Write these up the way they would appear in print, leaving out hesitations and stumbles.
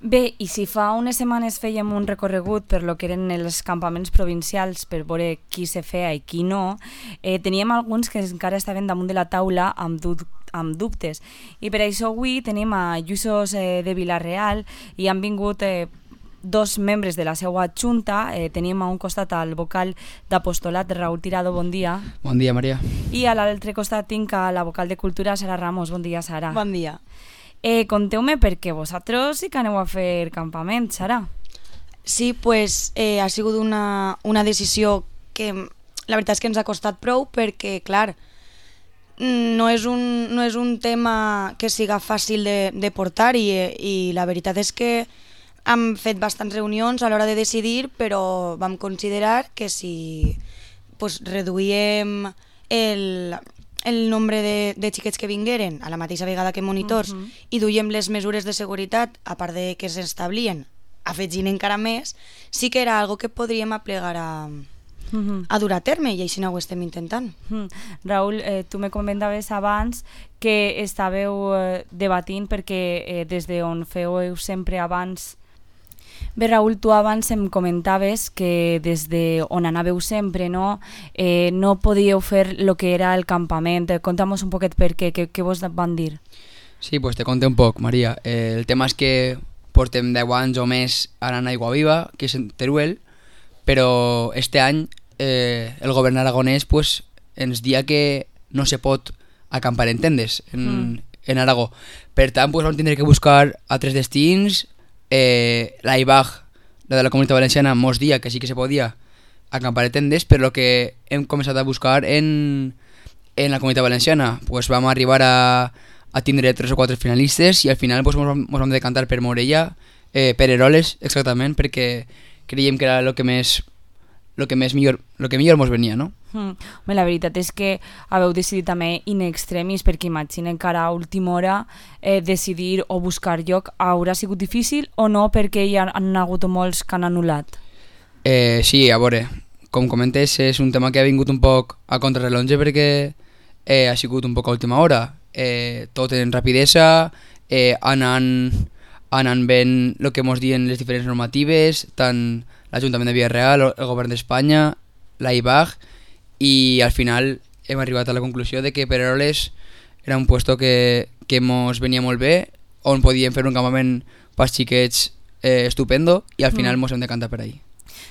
Bé, i si fa unes setmanes fèiem un recorregut per lo que eren els campaments provincials per veure qui se feia i qui no, teníem alguns que encara estaven damunt de la taula amb dubtes. I per això avui tenim a Lluïsos de Vila-real i han vingut dos membres de la seva junta. Tenim a un costat al vocal d'apostolat Raúl Tirado, bon dia. Bon dia, Maria. I a l'altre costat tinc a la vocal de cultura Sara Ramos, bon dia, Sara. Bon dia. Conteu-me perquè vosaltres sí que aneu a fer campament, Sara. Sí, pues ha sigut una decisió que la veritat és que ens ha costat prou perquè, clar, no és un tema que siga fàcil de portar i la veritat és que hem fet bastants reunions a l'hora de decidir, però vam considerar que si pues, reduïem el nombre de xiquets que vingueren a la mateixa vegada que monitors i duiem les mesures de seguretat, a part de que s'establien, afegint encara més, sí que era algo que podríem aplegar a dur a terme i així no ho estem intentant. Raúl, tu me comentaves abans que estàveu debatint perquè des d'on fèieu sempre abans. Bé, Raúl, tu abans em comentaves que des d'on anàveu sempre no podíeu fer el que era el campament. Conta'm un poquet per què vos van dir. Sí, pues te conté un poc, Maria. El tema és que portem 10 anys o més anant a Aiguaviva, que és en Teruel, però este any el govern aragonès pues, ens dia que no se pot acampar en tendes en Aragó. Per tant, pues, vam tindre que buscar altres destins. La IBAG, la de la Comunitat Valenciana, mos dia que sí que se podia acampar en tendes, però el que hem començat a buscar en la Comunitat Valenciana, pues vam arribar a tindre 3 o 4 finalistes i al final pues, mos vam decantar per Morella, per Eroles, exactament, perquè creiem que era el que millor mos venia, no? La veritat és que haveu decidit també in extremis, perquè imaginen que ara a última hora decidir o buscar lloc haurà sigut difícil o no, perquè hi han hagut molts que han anul·lat. Sí, a veure, com comentes, és un tema que ha vingut un poc a contrarrellotge perquè ha sigut un poc a última hora. Tot en rapidesa, anant ben el que mos diuen les diferents normatives, tant l'Ajuntament de Vila-real, el govern d'Espanya, la IBAG, i al final hem arribat a la conclusió de que per Eroles era un puesto que mos venia molt bé, on podíem fer un campament pels xiquets estupendo, i al final mos hem decantat per ahí.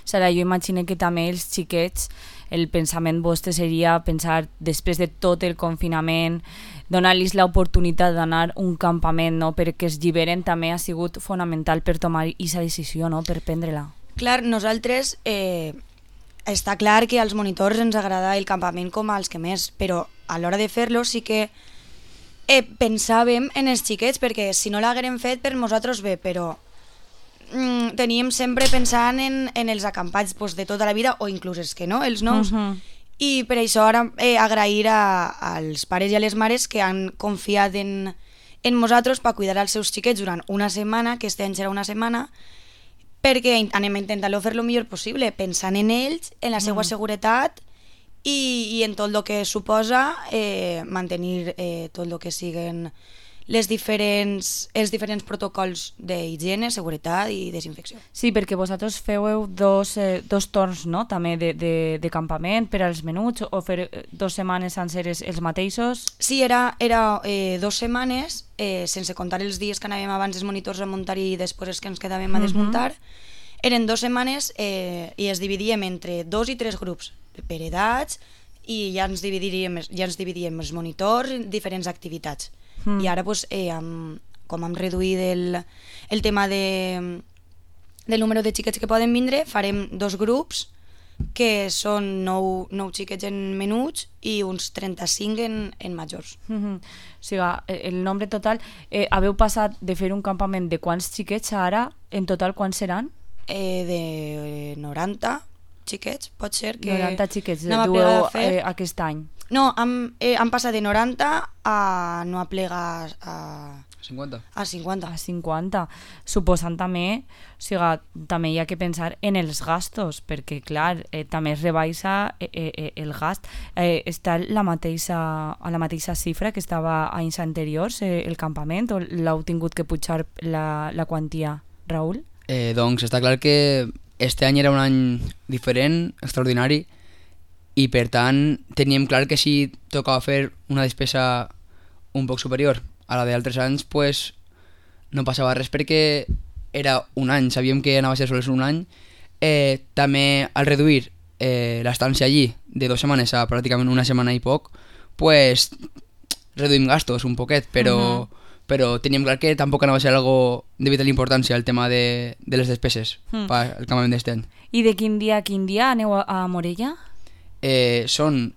Sara, jo imagino que també els xiquets, el pensament vostre seria pensar, després de tot el confinament, donar-los l'oportunitat d'anar a un campament, no? Perquè es lliberen també ha sigut fonamental per tomar aquesta decisió, no? Per prendre-la. Clar, nosaltres està clar que als monitors ens agrada el campament com als que més, però a l'hora de fer-lo sí que pensàvem en els xiquets, perquè si no l'haguérem fet per nosaltres bé, però teníem sempre pensant en els acampats pues, de tota la vida, o inclús els que no, els nous. I per això ara agrair als pares i a les mares que han confiat en nosaltres per cuidar els seus xiquets durant una setmana, que este any serà una setmana, perquè anem a intentar-lo fer el millor possible, pensant en ells, en la seva seguretat i en tot el que suposa mantenir tot el que siguen els diferents protocols d'higiene, seguretat i desinfecció. Sí, perquè vosaltres feu dos torns, no? També de campament per als menuts, o fer 2 setmanes senceres els mateixos? Sí, era 2 setmanes, sense comptar els dies que anàvem abans els monitors a muntar i després els que ens quedàvem a desmuntar. Eren 2 setmanes i es dividíem entre 2 i 3 grups per edats i ja ens dividíem els monitors en diferents activitats. I ara, pues, com hem reduït el tema del número de xiquets que poden vindre, farem 2 grups que són 9 xiquets en menuts i uns 35 en majors. O sigui, el nombre total, haveu passat de fer un campament de quants xiquets ara, en total quants seran? De 90 xiquets, pot ser que... 90 xiquets, dueu aquest any. No, han passat de 90 a no aplegar a 50. A 50. A 50. Suposant també, o sigui, també hi ha que pensar en els gastos, perquè, clar, també es rebaixa el gast. Està a la mateixa xifra que estava anys anteriors, el campament, o l'heu tingut que pujar la quantia? Raül? Doncs està clar que este any era un any diferent, extraordinari, i per tant teníem clar que si tocava fer una despesa un poc superior a la d'altres anys, pues no passava res perquè era un any, sabíem que anava a ser sols un any. També al reduir l'estància allí de 2 setmanes a pràcticament una setmana i poc, pues reduïm gastos un poquet, però teníem clar que tampoc anava a ser algo de vital importància el tema de les despeses pel campament d'este any. I de quin dia a quin dia aneu a Morella? Són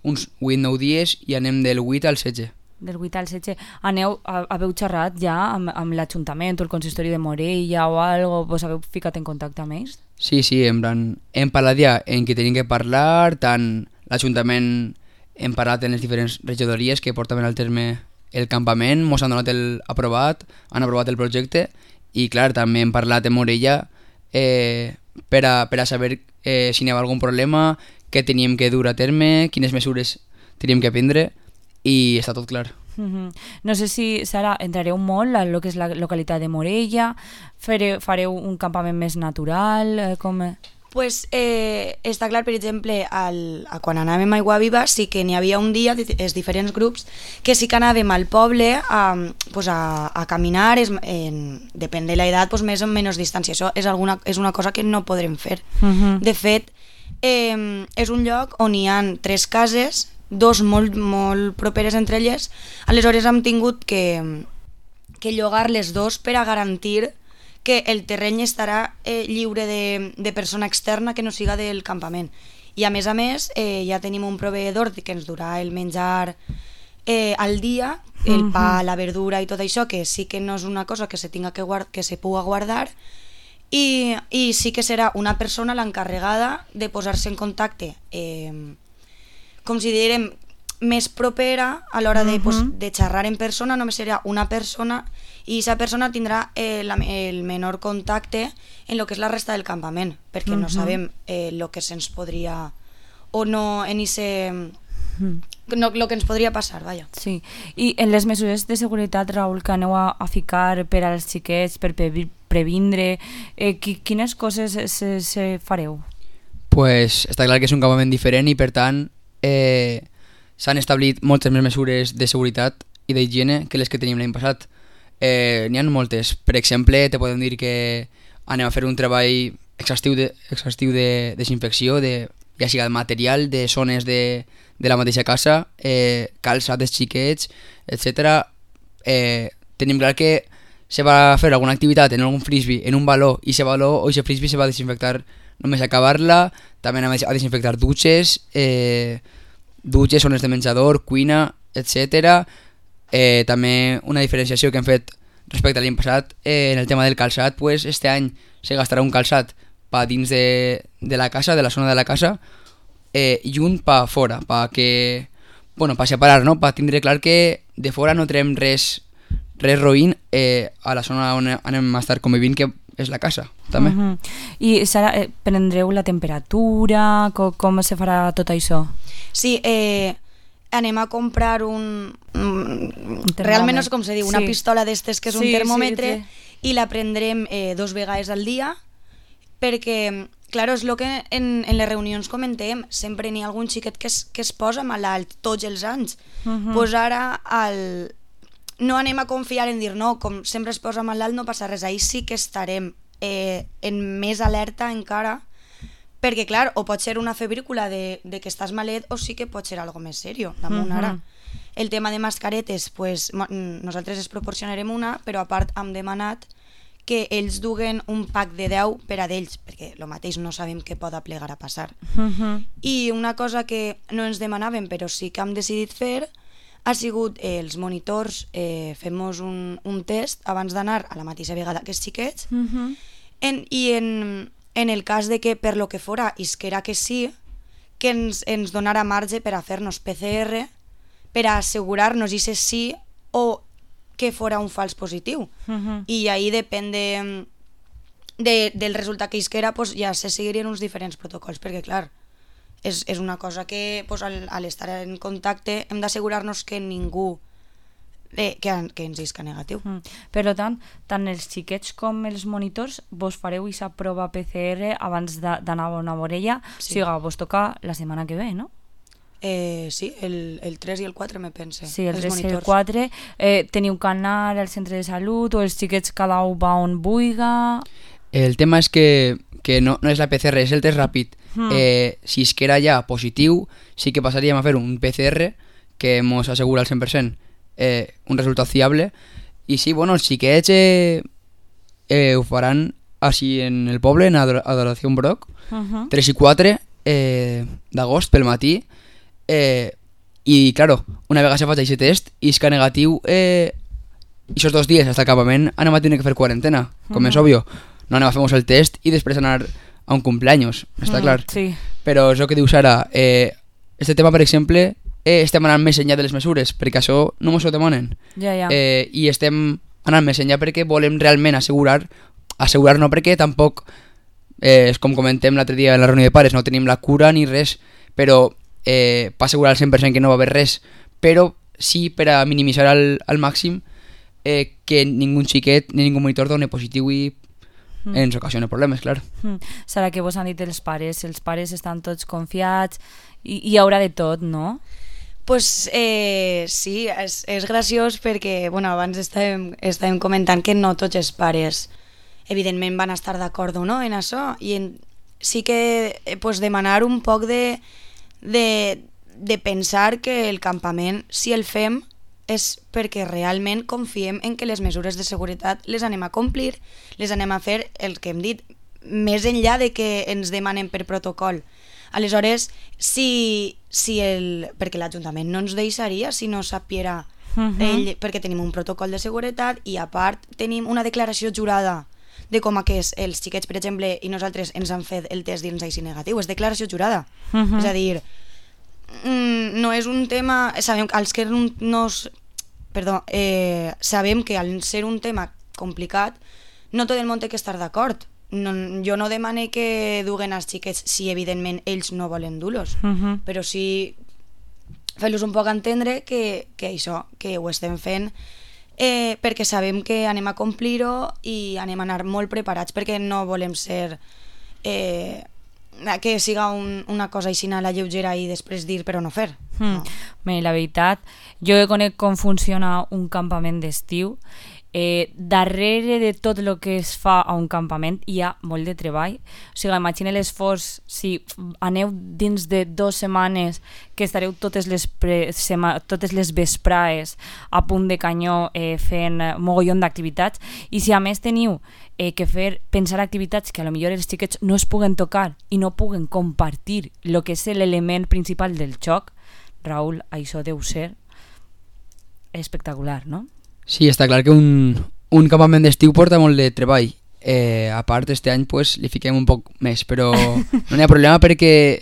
uns 8-9 dies i anem del 8 al 16. Del 8 al 16. Haveu xerrat ja amb l'Ajuntament o el consistori de Morella o algo? Vos haveu ficat en contacte amb ells? Sí, en plan, hem parlat ja en què tenim que parlar, tant l'Ajuntament hem parlat en les diferents regidories que portaven al terme el campament, mos han donat han aprovat el projecte i clar, també hem parlat en Morella per a saber si n'hi havia algun problema, què teníem que dur a terme, quines mesures teníem que prendre i està tot clar. No sé si, Sara, entrareu molt a lo que és la localitat de Morella, fareu un campament més natural, com... Pues està clar, per exemple, quan anàvem a Aigua Viva sí que n'hi havia un dia, els diferents grups, que sí que anàvem al poble a caminar, depèn de l'edat, pues, més o menys distància. Això és una cosa que no podrem fer. De fet, és un lloc on hi ha 3 cases, 2 molt, molt properes entre elles, aleshores hem tingut que llogar les 2 per a garantir que el terreny estarà lliure de persona externa que no siga del campament. I a més, ja tenim un proveïdor que ens durà el menjar al dia, el pa, la verdura i tot això, que sí que no és una cosa que se puga guardar, i sí que serà una persona l'encarregada de posar-se en contacte, com si diguem, més propera a l'hora de xerrar en persona, només serà una persona i aquesta persona tindrà el menor contacte en el que és la resta del campament, perquè no sabem el que se'ns podria o no en el que ens podria passar, vaja. Sí, i en les mesures de seguretat, Raül, que aneu a ficar per als xiquets, per previndre, quines coses se fareu? Pues està clar que és un campament diferent i per tant s'han establit moltes més mesures de seguretat i d'higiene que les que teníem l'any passat. N'hi ha moltes. Per exemple, te podem dir que anem a fer un treball exhaustiu de desinfecció, ja sigui de material, de zones de la mateixa casa, calçat dels xiquets, etc. Tenim clar que se va fer alguna activitat en algun frisbee, en un baló, i aquest baló o aquest frisbee se va desinfectar només a acabar-la. També anem a desinfectar dutxes, zones de menjador, cuina, etc. També una diferenciació que hem fet respecte a l'any passat en el tema del calçat, pues este any se gastarà un calçat pa dins de la casa, de la zona de la casa, i un pa fora, pa separar, no? Pa tindre clar que de fora no trem res roïn a la zona on anem a estar convivint, que és la casa, també. I Sara, prendreu la temperatura? Com se farà tot això? Sí, anem a comprar realment no sé com se diu, una pistola d'estes que és un termòmetre, i la prendrem 2 vegades al dia, perquè, clar, és el que en les reunions comentem, sempre n'hi ha algun xiquet que es posa malalt tots els anys. Pues ara no anem a confiar en dir no, com sempre es posa malalt no passa res, ahir sí que estarem en més alerta encara, perquè clar, o pot ser una febrícula de que estàs malet o sí que pot ser algo més seriós damunt ara. El tema de mascaretes, pues, nosaltres es proporcionarem una, però a part hem demanat que ells duguen un pack de 10 per a d'ells, perquè el mateix no sabem què pot plegar a passar. I una cosa que no ens demanàvem però sí que hem decidit fer ha sigut els monitors, fem-nos un test abans d'anar a la mateixa vegada que els xiquets, i en el cas de que per lo que fora isquera que sí, que ens donara marge per a fer-nos PCR, per a assegurar-nos i ser sí o que fora un fals positiu. I ahí depèn del resultat que isquera, pues ja se seguirien uns diferents protocols, perquè clar, és una cosa que pues, al estar en contacte hem d'assegurar-nos que ningú que ens isca negatiu. Per tant, tant els xiquets com els monitors vos fareu aquesta prova PCR abans d'anar a una vorella, Sí. o sigui, vos toca la setmana que ve, no? Sí, el 3 i el 4 me pense. Sí, el els 3 i el monitors. 4. Teniu que anar al centre de salut o els xiquets cada un va on vulga? El tema és que no és la PCR, és el test ràpid. Si es que era ja positiu, sí que passaríem a fer un PCR que ens assegura al 100% un resultat fiable. I sí, bueno, els xiquets ho faran així en el poble, en Adoració Broc, 3 i 4 d'agost pel matí. I, claro, una vegada se faig aquest test i és que negatiu, aquests 2 dies hasta el campament anem a tenir que fer quarantena, com és obvio. No anem a fer-nos el test i després anar a un cumpleaños, està clar. Sí. Però és el que diu Sara, este tema, per exemple, estem anant més enllà de les mesures, perquè això no ens ho demanen. Ja. I estem anant més enllà perquè volem realment assegurar no perquè tampoc, com comentem l'altre dia en la reunió de pares, no tenim la cura ni res, però per assegurar al 100% que no va haver res, però sí per a minimitzar al màxim que ningú xiquet ni ningú monitor doni positiu i ens ocasiona problemes, clar. Serà que vos han dit els pares estan tots confiats i hi haurà de tot, no? Pues sí, és graciós perquè abans estàvem comentant que no tots els pares evidentment van estar d'acord o no en això i sí que demanar un poc de pensar que el campament, si el fem, és perquè realment confiem en que les mesures de seguretat les anem a complir, les anem a fer el que hem dit, més enllà de que ens demanen per protocol. Aleshores, perquè l'Ajuntament no ens deixaria si no sapiera perquè tenim un protocol de seguretat i a part tenim una declaració jurada de com els xiquets, per exemple, i nosaltres ens han fet el test dins així negatiu, és declaració jurada. És a dir, no és un tema... Sabem que al ser un tema complicat no tot el món té que estar d'acord. Jo no demane que duguen els xiquets si evidentment ells no volen dur-los, però sí fer-los un poc entendre que això, que ho estem fent perquè sabem que anem a complir-ho i anem a anar molt preparats, perquè no volem ser que siga una cosa així a la lleugera i després dir però no fer. No. Bé, la veritat, jo conec com funciona un campament d'estiu. Darrere de tot el que es fa a un campament hi ha molt de treball. O sigui, imagina l'esforç si aneu dins de 2 setmanes que estareu totes les vesprades a punt de canyó fent mogollon d'activitats, i si a més teniu que pensar activitats que a lo millor els xiquets no es puguen tocar i no puguen compartir el que és l'element principal del joc, Raül, això deu ser espectacular, no? Sí, està clar que un campament d'estiu porta molt de treball. A part, este any li fiquem un poc més, però no hi ha problema perquè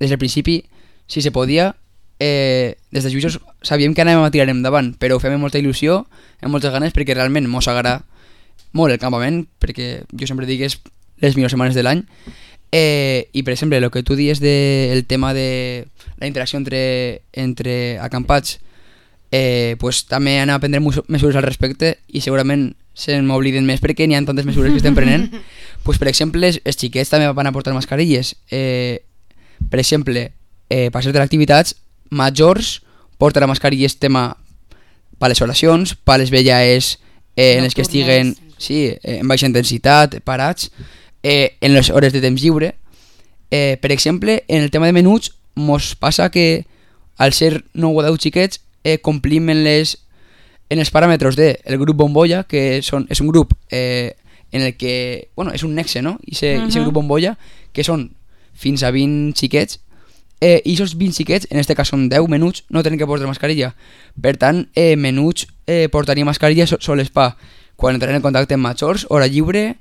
des del principi, si se podia, des de Jutjos sabíem que anàvem a tirar endavant, però ho fem amb molta il·lusió, amb moltes ganes, perquè realment mos agrada molt el campament, perquè jo sempre dic que és les millors setmanes de l'any. I per exemple, el que tu dius del tema de la interacció entre acampats, també han a prendre mesures al respecte i segurament se m'obliden més perquè n'hi ha tantes mesures que estem prenent. Per exemple, els xiquets també van a portar mascarilles. Per exemple, per ser de activitats majors portarà mascarilles tema per les oracions, per les velles en les que estiguen en baixa intensitat, parats, en les hores de temps lliure. Per exemple, en el tema de menuts mos passa que al ser 9 o 10 xiquets complim en els paràmetres del grup bombolla, que és un grup en el que, és un nexe, no? I ese grup bombolla, que són fins a 20 xiquets, i aquests 20 xiquets, en aquest cas són 10 menuts, no tenen que portar mascarilla. Per tant, menuts portaria mascarilla sols pa quan entraran en contacte amb majors, hora lliure,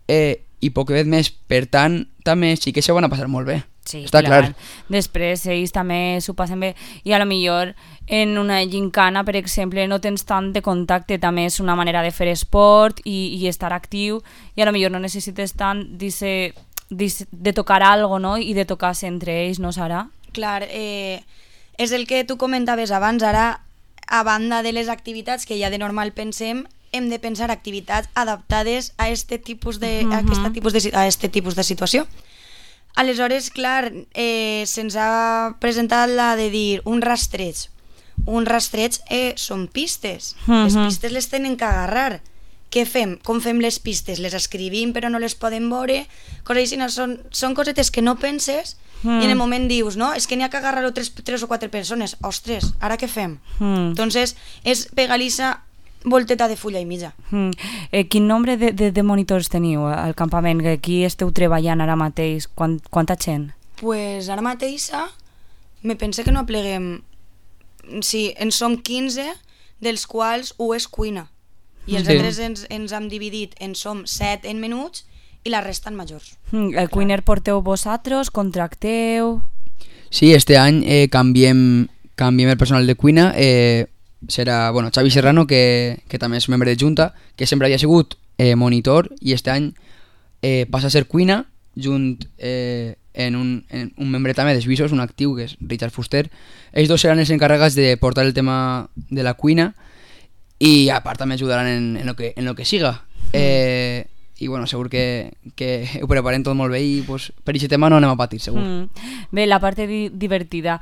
i poc més. Per tant, també els xiquets s'ho van a passar molt bé. Sí, està clar. Després ells també s'ho passen bé i a lo millor en una gincana, per exemple, no tens tant de contacte, també és una manera de fer esport i estar actiu, i a lo millor no necessites tant de tocar algo, no? I de tocar-se entre ells, no, Sara? Clar, és el que tu comentaves abans. Ara a banda de les activitats que ja de normal pensem, hem de pensar activitats adaptades a este tipus de, a este tipus de situació. Aleshores, clar, se'ns ha presentat la de dir un rastreig. Un rastreig són pistes. Les pistes les tenen que agarrar. Què fem? Com fem les pistes? Les escrivim però no les podem veure? Coses així, són cosetes que no penses i en el moment dius, no, és que n'hi ha que agarrar-ho tres o quatre persones. Ostres, ara què fem? Entonces, és pegar-li-se volteta de fulla i mitja. Quin nombre de monitors teniu al campament? Aquí esteu treballant ara mateix? Quanta gent? Pues ara mateix me pense que no apleguem... Sí, en som 15, dels quals 1 és cuina. I els altres ens hem dividit en som 7 en menuts i la resta en majors. El cuiner porteu vosaltres? Contracteu? Sí, este any canviem el personal de cuina. Serà Xavi Serrano, que també és membre de Junta, que sempre havia sigut monitor, i este any passa a ser cuina junt en un membre també de Suïssos, un actiu, que és Richard Fuster. Ells dos seran els encarregats de portar el tema de la cuina i a part també ajudaran en lo que siga. I segur que ho preparem tot molt bé i per aquest tema no anem a patir, segur. Bé, la part divertida,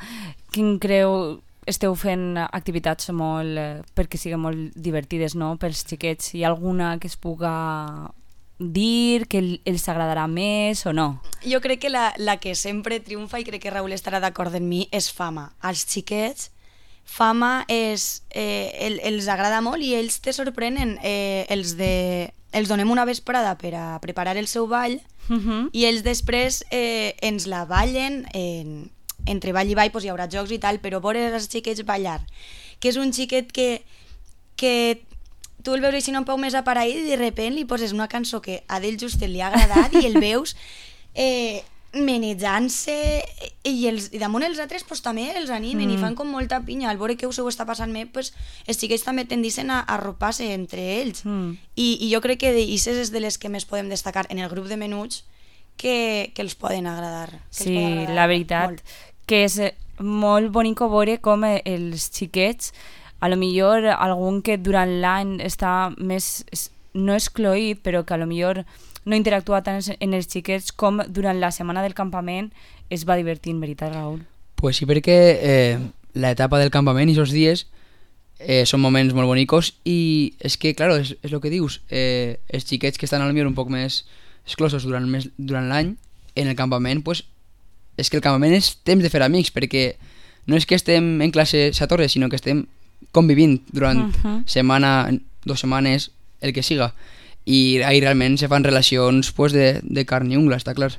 quin creu... Esteu fent activitats perquè siguin molt divertides, no?, pels xiquets. Hi ha alguna que es puga dir que els agradarà més o no? Jo crec que la que sempre triomfa, i crec que Raül estarà d'acord amb mi, és Fama. Als xiquets, Fama els agrada molt i ells te sorprenen. Els donem una vesprada per a preparar el seu ball i ells després ens la ballen entre ball i ball, hi haurà jocs i tal, però veure els xiquets ballar, que és un xiquet que tu el veus així un peu més apareït i de sobte li poses una cançó que a d'ell just li ha agradat i el veus menejant-se i damunt els altres també els animen i fan com molta pinya. Al veure que us ho està passant bé, els xiquets també tendeixen a arropar-se entre ells i jo crec que d'aixes és de les que més podem destacar en el grup de menuts que els poden agradar. Sí, la veritat molt. Que és molt bonic veure com els xiquets, a lo millor algun que durant l'any està més no excloït, però que a lo millor no interactua tant en els xiquets, com durant la setmana del campament es va divertint, veritat, Raül? Pues sí, perquè l'etapa del campament i aquests dies són moments molt bonicos i és que, claro, és el que dius, els xiquets que estan a lo millor un poc més exclosos durant l'any, en el campament, pues és que el campament és temps de fer amics, perquè no és que estem en classe a Torres, sinó que estem convivint durant setmana, 2 setmanes, el que siga. I ahí realment se fan relacions de carn i ungla, està clar.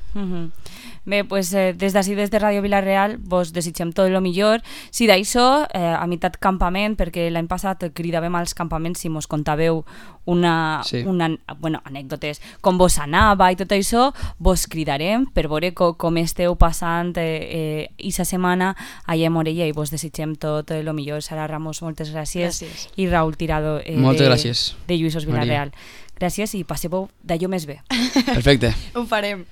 Bé, des d'ací, des de Ràdio Vila-real, vos desitgem tot el millor. Si d'això, a meitat campament, perquè l'any passat cridàvem als campaments si mos contàveu anècdotes, com vos anava i tot això, vos cridarem per veure com esteu passant aquesta setmana allà a Morella i vos desitgem tot el millor. Sara Ramos, moltes gràcies. I Raül Tirado, gràcies. de Lluïsos Vila-real. Gràcies i passeu d'allò més bé. Perfecte. Ho farem.